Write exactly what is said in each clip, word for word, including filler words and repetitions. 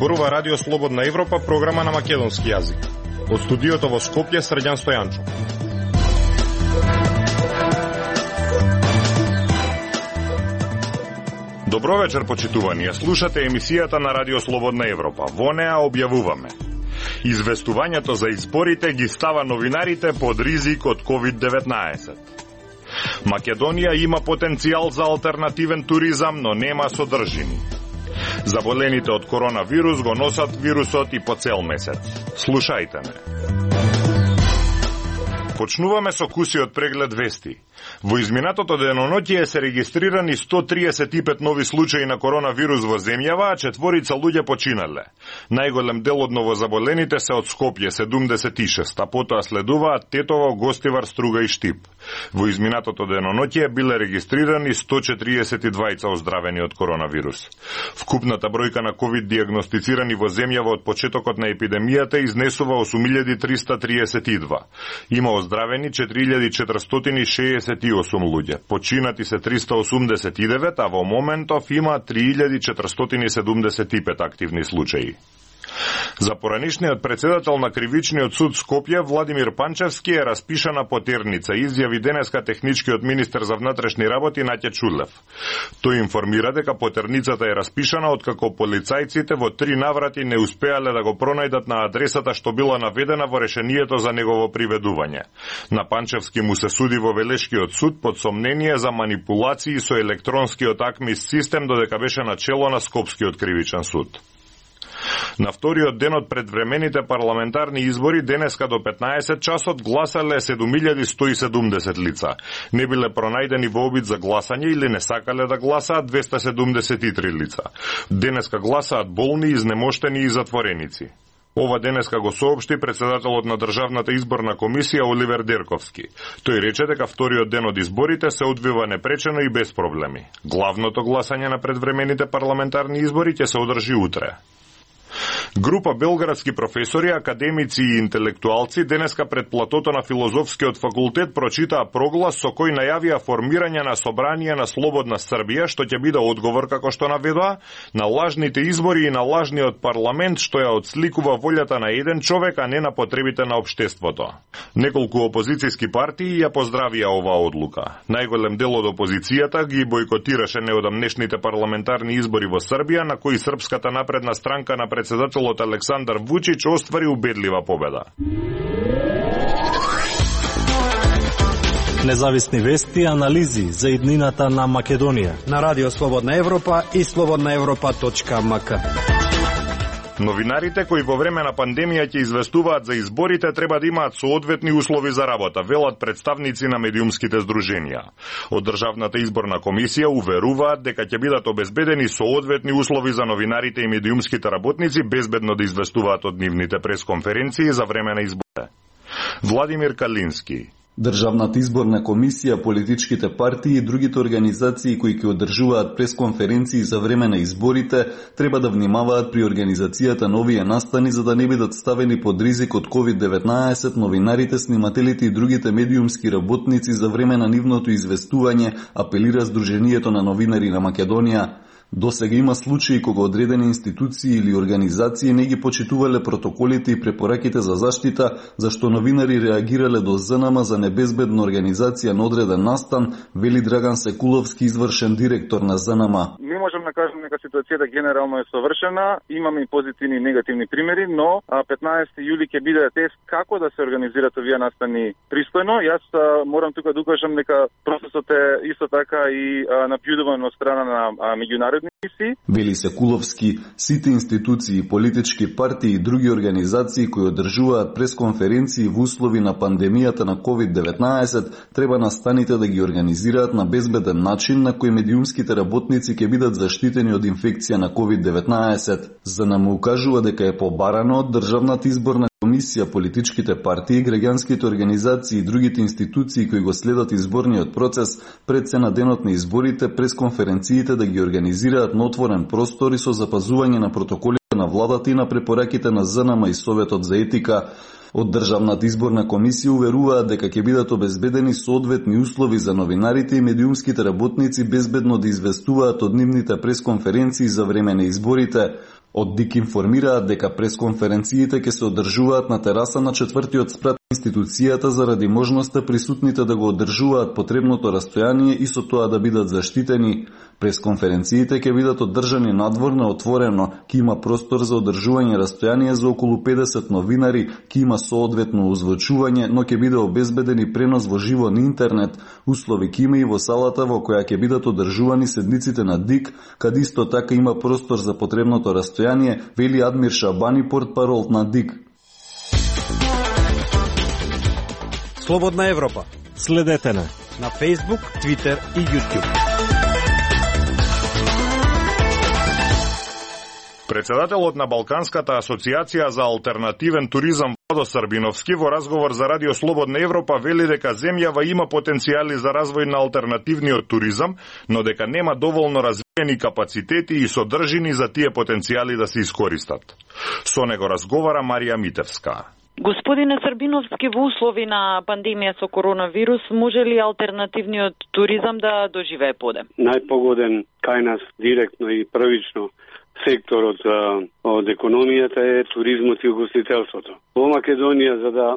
Зборува Радио Слободна Европа, програма на македонски јазик. Од студиото во Скопје, Срđan Стојанчов. Добро вечер, почитувани. Слушате емисијата на Радио Слободна Европа. Во неа објавуваме: известувањето за изборите ги става новинарите под ризик од ковид деветнаесет. Македонија има потенцијал за алтернативен туризам, но нема содржини. Заболените од коронавирус го носат вирусот и по цел месец. Слушајте ме. Почнуваме со кусиот преглед вести. Во изминатото деноноќие се регистрирани сто триесет и пет нови случаи на коронавирус во земјава, а четворица луѓе починале. Најголем дел од новозаболените се од Скопје, седумдесет и шест, а потоа следуваат Тетово, Гостивар, Струга и Штип. Во изминатото деноноќие биле регистрирани сто четириесет и двајца оздравени од коронавирус. Вкупната бројка на ковид диагностицирани во земјава од почетокот на епидемијата изнесува осум илјади триста триесет и два. Има оздравени четири илјади четиристотини шеесет и осум луѓе. Починати се триста осумдесет и девет, а во моментов има три илјади четиристотини седумдесет и пет активни случаи. За поранишниот председател на Кривичниот суд Скопје, Владимир Панчевски, е распишана потерница, изјави денеска техничкиот министер за внатрешни работи Наќа Чулев. Тој информира дека потерницата е распишана откако полицајците во три наврати не успеале да го пронајдат на адресата што била наведена во решението за негово приведување. На Панчевски му се суди во Велешкиот суд под сомнение за манипулации со електронскиот АКМИС систем додека беше начело на Скопскиот кривичен суд. На вториот ден од предвремените парламентарни избори, денеска до петнаесет часот, гласале седум илјади сто и седумдесет лица. Не биле пронајдени во обид за гласање или не сакале да гласаат двеста седумдесет и три лица. Денеска гласаат болни, изнемоштени и затвореници. Ова денеска го соопшти председателот на Државната изборна комисија Оливер Дерковски. Тој рече дека вториот ден од изборите се одвива непречено и без проблеми. Главното гласање на предвремените парламентарни избори ќе се одржи утре. Група белградски професори, академици и интелектуалци денеска пред платото на Филозофскиот факултет прочитаа проглас со кој најавија формирање на собрание на Слободна Србија, што ќе биде одговор, како што наведоа, на лажните избори и на лажниот парламент, што ја отсликува волјата на еден човек, а не на потребите на општеството. Неколку опозицијски партии ја поздравија оваа одлука. Најголем дел од опозицијата ги бойкотираше неодамнешните парламентарни избори во Србија, на кои Српската напредна странка на председателот Александар Вучич оствари убедлива победа. Независни вести и анализи за иднината на Македонија на Радио Слободна Европа и слободна европа точка ем ка. Новинарите кои во време на пандемија ќе известуваат за изборите треба да имаат соодветни услови за работа, велат представници на медиумските здруженија. Од Државната изборна комисија уверуваат дека ќе бидат обезбедени соодветни услови за новинарите и медиумските работници безбедно да известуваат од нивните пресконференции за време на изборите. Владимир Калински. Државната изборна комисија, политичките партии и другите организации кои ќе одржуваат пресконференции за време на изборите треба да внимаваат при организацијата на овие настани за да не бидат ставени под ризик од ковид деветнаесет новинарите, снимателите и другите медиумски работници за време на нивното известување, апелира Сдруженијето на новинари на Македонија. Досега има случаи кога одредени институции или организации не ги почитувале протоколите и препораките за заштита, зашто новинари реагирале до ЗНМ за небезбедна организација на одреден настан, вели Драган Секуловски, извршен директор на ЗНМ. Не можам да кажам дека ситуацијата генерално е совршена, имаме и позитивни и негативни примери, но петнаесети јули ќе биде тест како да се организираат овие настани пристојно. Јас морам тука да укажам дека процесот е исто така и наблюдуван од страна на меѓународни. Вели Секуловски, сите институции, политички партии и други организации кои одржуваат пресконференции во услови на пандемијата на ковид деветнаесет треба настаните да ги организираат на безбеден начин на кој медиумските работници ќе бидат заштитени од инфекција на ковид деветнаесет. За да му укажува дека е побарано од Државната изборна комисија, политичките партии, граѓанските организации и другите институции кои го следат изборниот процес пред се на денот на изборите, пресконференциите да ги организираат на отворен простор и со запазување на протоколите на владата и на препораките на ЗНМ и Советот за етика. Од Државната изборна комисија уверуваат дека ќе бидат обезбедени соодветни услови за новинарите и медиумските работници безбедно да известуваат од нивните пресконференции за време на изборите. Од ДИК информираат дека пресконференциите ќе се одржуваат на тераса на четвртиот спрат институцијата заради можноста присутните да го одржуваат потребното растојание и со тоа да бидат заштитени. Пресконференциите ќе бидат одржани надвор на отворено, ќе има простор за одржување растојание за околу педесет новинари, ќе има соодветно озвучување, но ќе биде обезбеден и пренос во живо на интернет. Услови ќе има и во салата во која ќе бидат одржувани седниците на ДИК, каде исто така има простор за потребното растојание, вели Адмир Шабани, портпарол на ДИК. Слободна Европа. Следете на на Facebook, Twitter и YouTube. Председателот на Балканската асоциација за алтернативен туризам Владо Србиновски во разговор за Радио Слободна Европа вели дека земјава има потенцијали за развој на алтернативниот туризам, но дека нема доволно развиени капацитети и содржини за тие потенцијали да се искористат. Со него разговара Марија Митевска. Господине Србиновски, во услови на пандемија со коронавирус, може ли алтернативниот туризам да доживее подем? Најпогоден кај нас директно и првично секторот од економијата е туризмот и угостителството. Во Македонија, за да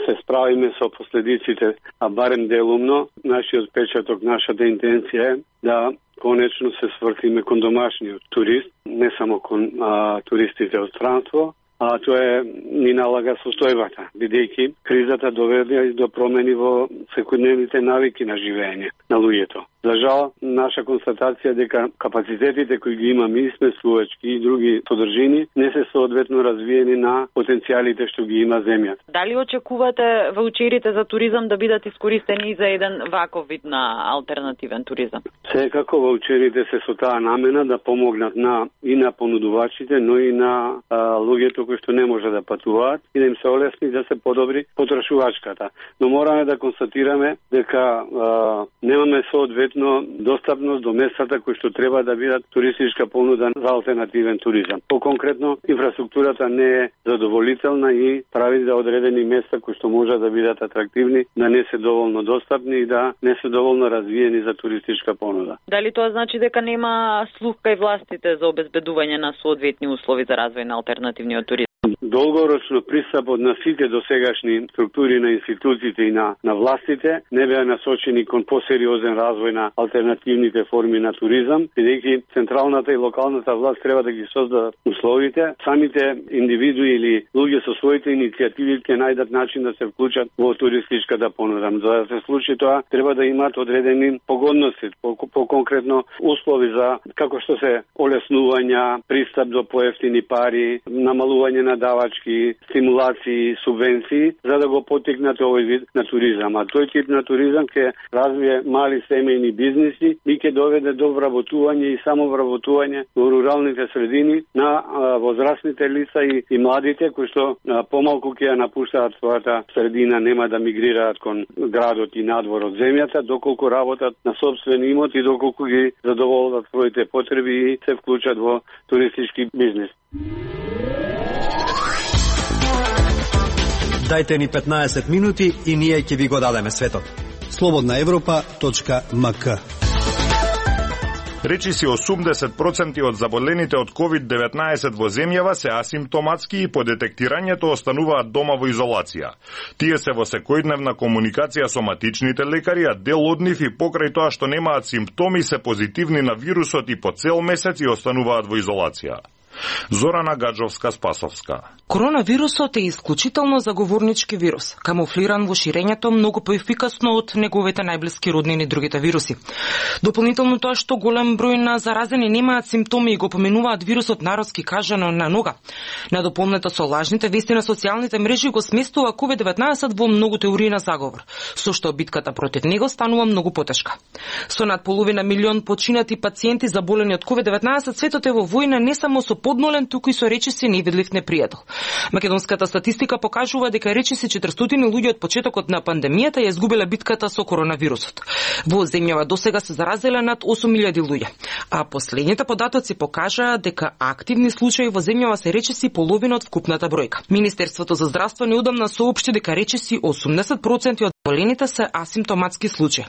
се справиме со последиците, а барем делумно, нашиот печаток, нашата интенција е да конечно се свртиме кон домашниот турист, не само кон а, туристите од странство, а тоа е ни налага состојбата, бидејќи кризата доведе до промени во секојдневните навики на живење на луѓето. За жал, наша констатација дека капацитетите кои ги имаме и смесувачки и други содржини не се соодветно развиени на потенцијалите што ги има земјата. Дали очекувате ваучерите за туризам да бидат искористени за еден ваков вид на алтернативен туризам? Секако ваучерите се со таа намена да помогнат на и на понудувачите, но и на а, луѓето кои што не може да патуваат и да им се олесни да се подобри потрошувачката. Но мораме да констатираме дека а, немаме соодветно достапност до местата кои што треба да бидат туристичка понуда за алтернативен туризам. По-конкретно, инфраструктурата не е задоволителна и прави за одредени места кои што може да бидат атрактивни, да не се доволно достапни и да не се доволно развиени за туристичка понуда. Дали тоа значи дека нема слух кај властите за обезбедување на соодветни услови за развој на алтернативниот туризам? Долгорочно пристапот на сите досегашни структури на институциите и на, на властите не беа насочени кон посериозен развој на алтернативните форми на туризам, бидејќи централната и локалната власт треба да ги создадат условите. Самите индивидуи или луѓе со своите иницијативи ќе најдат начин да се вклучат во туристичката понуда. За да се случи тоа, треба да имаат одредени погодности, по-конкретно услови за како што се олеснувања, пристап до поевтини пари, намалување на давачки, стимулации, субвенции, за да го потикнат овој вид на туризам. А тој тип на туризам ќе развие мали семејни бизниси и ќе доведе до вработување и самовработување во руралните средини на а, возрастните лица и, и младите, кои што а, помалку ќе ја напуштаат својата средина, нема да мигрираат кон градот и надвор од земјата, доколку работат на собствен имот и доколку ги задоволат своите потреби и се вклучат во туристички бизнис. Дајте ни петнаесет минути и ние ќе ви го дадеме светот. слободна европа точка ем ка. Речиси осумдесет проценти од заболените од ковид деветнаесет во земјава се асимптоматски и по детектирањето остануваат дома во изолација. Тие се во секојдневна комуникација со матичните лекари, а дел од нив и покрај тоа што немаат симптоми се позитивни на вирусот и по цел месец и остануваат во изолација. Зорана Гаджовска-Спасовска. Коронавирусот е исклучително заговорнички вирус, камуфлиран во ширењето многу поефикасно од неговите најблиски роднини другите вируси. Дополнително тоа што голем број на заразени немаат симптоми и го поменуваат вирусот народски кажано на нога. Надополнето со лажните вести на социјалните мрежи го сместува ковид деветнаесет во многу теории на заговор, со што битката против него станува многу потешка. Со над половина милион починати пациенти заболени од ковид деветнаесет, светот е во војна не само со подмолен, туку и со речиси невидлив непријател. Македонската статистика покажува дека речиси четиристотини луѓе од почетокот на пандемијата ја изгубила битката со коронавирусот. Во земјава досега се заразиле над осум илјади луѓе, а последните податоци покажаа дека активни случаи во земјава се речиси половина од вкупната бројка. Министерството за здравство неодамна соопшти дека речиси осумдесет проценти од Олените се асимптоматски случаи.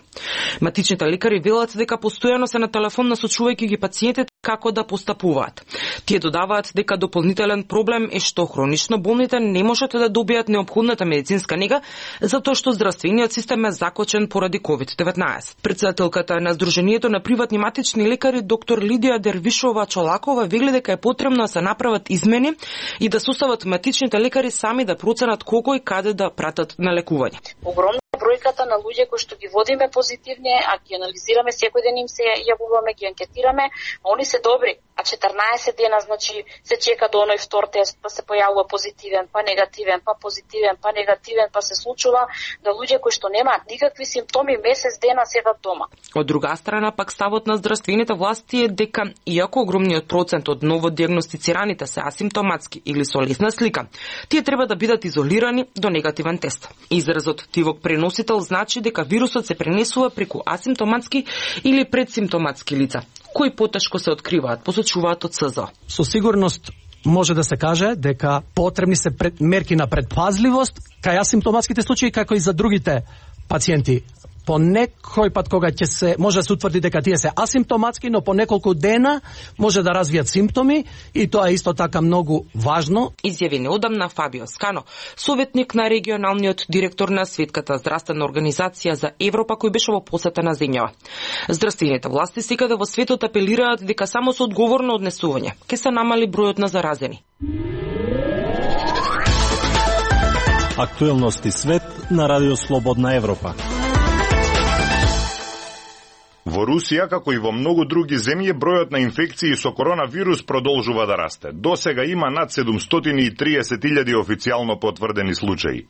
Матичните лекари велат дека постојано се на телефон насочувајќи ги пациентите како да постапуваат. Тие додаваат дека дополнителен проблем е што хронично болните не можат да добијат неопходната медицинска нега затоа што здравствениот систем е закочен поради ковид деветнаесет. Претседателката на Сдруженијето на приватни матични лекари доктор Лидија Дервишова Чолакова вели дека е потребно да се направат измени и да состават матичните лекари сами да проценат кого и каде да пратат на лекување. Огромна бројката на луѓе кои што ги водиме позитивни, а ги анализираме секој ден, им се јавуваме, ги анкетираме, они се добри, а четрнаесет дена, значи, се чека до оној втор тест, па се појавува позитивен, па негативен, па позитивен, па негативен, па се случува да луѓе кои што немаат никакви симптоми месец дена седат дома. Од друга страна, пак ставот на здравствените власти е дека, иако огромниот процент од новодиагностицираните се асимптоматски или со лесна слика, тие треба да бидат изолирани до негативен тест. Изразот тивок преносител значи дека вирусот се пренесува преку асимптоматски или предсимптоматски лица, кои потешко се откриваат, посочуваат од СЗО. Со сигурност може да се каже дека потребни се пред, мерки на предпазливост кај асимптоматските случаи како и за другите пациенти. По некој пат кога ќе се може да се утврди дека тие се асимптоматски, но по неколку дена може да развијат симптоми и тоа е исто така многу важно. Изјави неодамна Фабио Скано, советник на регионалниот директор на Светската здравствена организација за Европа, кој беше во посета на земјава. Здравствените власти секаде во светот апелираат дека само со одговорно однесување ќе се намали бројот на заразени. Актуелности свет на Радио Слободна Европа. Во Русија, како и во многу други земји, бројот на инфекции со коронавирус продолжува да расте. До сега има над седумстотини и триесет илјади официјално потврдени случаи.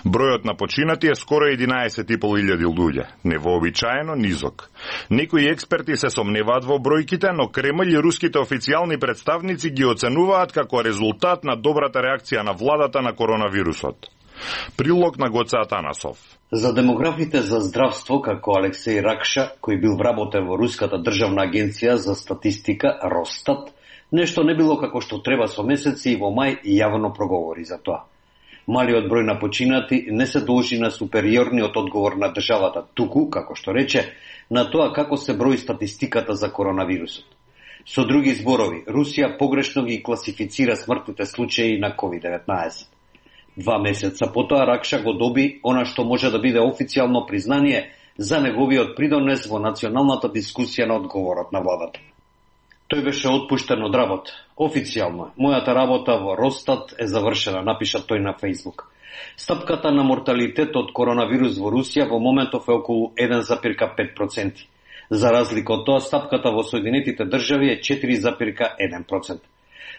Бројот на починати е скоро единаесет и пол илјади луѓе. Невообичаено низок. Некои експерти се сомневаат во бројките, но Кремљ и руските официјални представници ги оценуваат како резултат на добрата реакција на владата на коронавирусот. Прилог на Гоце Атанасов. За демографите за здравство, како Алексеј Ракша, кој бил вработен во Руската државна агенција за статистика, Росстат, нешто не било како што треба со месеци и во мај јавно проговори за тоа. Малиот број на починати не се должи на супериорниот одговор на државата, туку, како што рече, на тоа како се брои статистиката за коронавирусот. Со други зборови, Русија погрешно ги класифицира смртните случаи на ковид деветнаесет. Два месеца потоа Ракша го доби она што може да биде официјално признание за неговиот придонес во националната дискусија на одговорот на владата. Тој беше отпуштен од работа. Официјално, мојата работа во Росстат е завршена, напиша тој на Фејсбук. Стапката на морталитет од коронавирус во Русија во моментов е околу еден зарез пет проценти. За разлика од тоа, стапката во Соединетите држави е четири зарез еден проценти.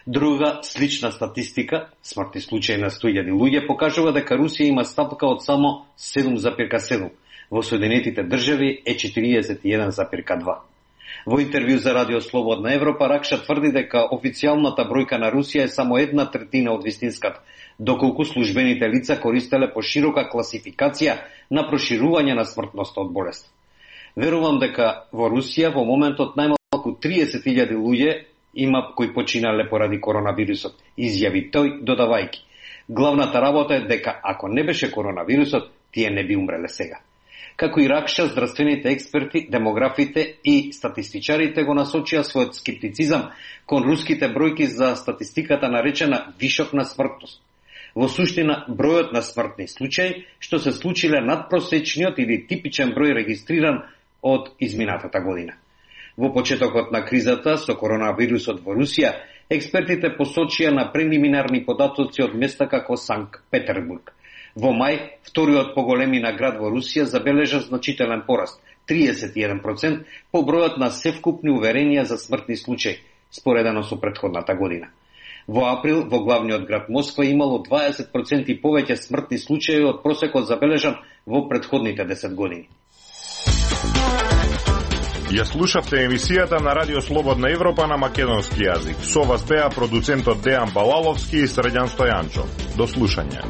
Друга слична статистика, смртни случаи на сто илјади луѓе, покажува дека Русија има стапка од само седум зарез седум, во Соединетите држави е четириесет и еден зарез два. Во интервју за Радио Слободна Европа, Ракша тврди дека официјалната бројка на Русија е само една третина од вистинската, доколку службените лица користеле поширока класификација на проширување на смртноста од болест. Верувам дека во Русија во моментот најмалку триесет илјади луѓе има кои починале поради коронавирусот, изјави тој додавајќи. Главната работа е дека ако не беше коронавирусот, тие не би умреле сега. Како и Ракша, здравствените експерти, демографите и статистичарите го насочија својот скептицизам кон руските бројки за статистиката наречена вишок на смртност. Во суштина, бројот на смртни случаи што се случиле надпросечниот или типичен број регистриран од изминатата година. Во почетокот на кризата со коронавирусот во Русија, експертите посочија на прелиминарни податоци од места како Санкт Петербург. Во мај, вториот поголемина град во Русија забележа значителен пораст, триесет и еден проценти по бројот на севкупни уверенија за смртни случаи, споредено со претходната година. Во април, во главниот град Москва имало дваесет проценти повеќе смртни случаи од просекот забележан во претходните десет години. Ја слушавте емисијата на Радио Слободна Европа на македонски јазик. Со вас беа продуцентот Дејан Балаловски и Средјан Стојанчо. До слушање.